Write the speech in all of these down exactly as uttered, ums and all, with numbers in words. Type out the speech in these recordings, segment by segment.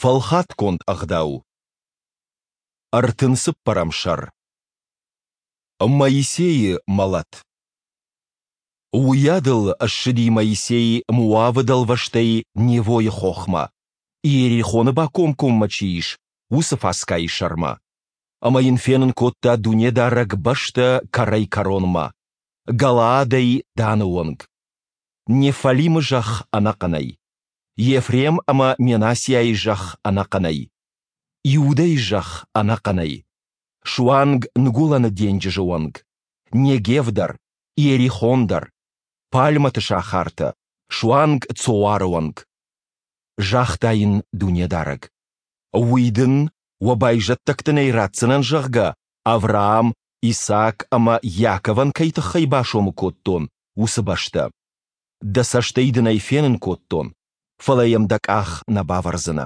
Фӕлхатгонд ӕгъдау. Ӕртын цыппӕрӕм сӕр. Моисейы мӕлӕт. Уыйадыл ссыди Моисей Моавы дӕлвӕзтӕй Невойы хохмӕ, Иерихоны бакомкоммӕ чи ис, уыцы Фаскайы сӕрмӕ. Ӕмӕ йын фенын кодта Дунедарӕг бӕстӕ кӕрӕй-кӕронмӕ, Галаадӕй Даны онг, Неффалимы зӕхх ӕнӕхъӕнӕй, Ефрем ӕмӕ Менассиайы зӕхх ӕнӕхъӕнӕй, Иудӕйы зӕхх ӕнӕхъӕнӕй, суанг Ныгуылӕны денджызы онг, Негев дӕр, Иерихон дӕр, пальмӕты сахартӕ, суанг Цоары онг. Загъта йын Дунедарӕг: «Уый дын, уӕ байзӕддӕгтӕн ӕй ратдзынӕн, зӕгъгӕ, Авраам, Исаак ӕмӕ Иаковӕн кӕй тыххӕй басомы кодтон, уыцы бӕстӕ. Дӕ цӕстӕй дын ӕй фенын кодтон, фӕлӕ йӕм дӕ къах нӕ бавӕрдзынӕ».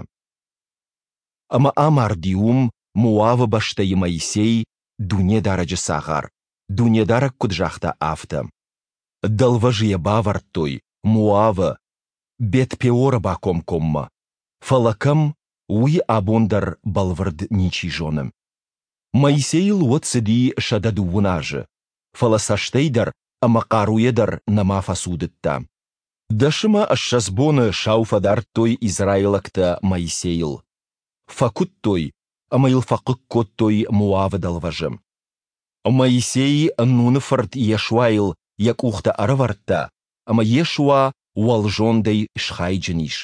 Ӕмӕ амарди уым, Моавы бӕстӕйы Моисей, Дунедарӕджы цагъар, Дунедарӕг куыд загъта, афтӕ. Дӕлвӕзы йӕ бавӕрдтой, Моавы, Бет-Пеоры бакомкоммӕ. Фӕлӕ кӕм, уый абон дӕр бӕлвырд ничи зоны. Моисейыл уӕд цыди сӕдӕ дыууын азы, фӕлӕ цӕстӕй дӕр ӕмӕ хъаруйӕ дӕр нӕма фӕцудыдта. Дӕс ӕмӕ ссӕдз боны сау фӕдардтой израилӕгтӕ Моисейыл. Фӕкуыдтой ӕмӕ йыл фӕхъыг кодтой Моавы дӕлвӕзы. Моисей Нуны фырт Йешуайыл йӕ къухтӕ ӕрӕвӕрдта, ӕмӕ Йешуа уӕлзондӕй схайджын ис.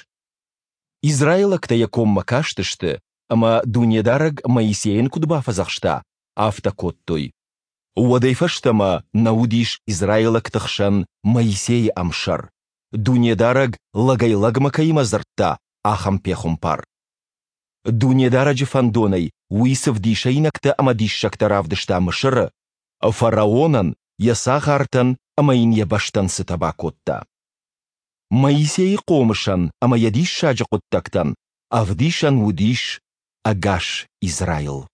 Израилӕгтӕ йӕ коммӕ кастысты, ӕмӕ Дунедарӕг Моисейӕн куыд бафӕдзӕхста, афтӕ кодтой. Уӕдӕй фӕстӕмӕ нӕ уыдис израилӕгты хсӕн Моисейы ӕмсӕр, Дунедарӕг лӕгӕй-лӕгмӕ кӕимӕ дзырдта, ахӕм пехуымпар. Дунедарӕджы фӕндонӕй уый цы вдисӕйнӕгтӕ ӕмӕ диссӕгтӕ равдыста Мысыры, фараонӕн, йӕ цагъартӕн ӕмӕ йын йӕ бӕстӕн цытӕ бакодта. Моисейы хъомысӕн ӕмӕ йӕ диссаджы хъуыддӕгтӕн ӕвдисӕн уыдис ӕгас Израил.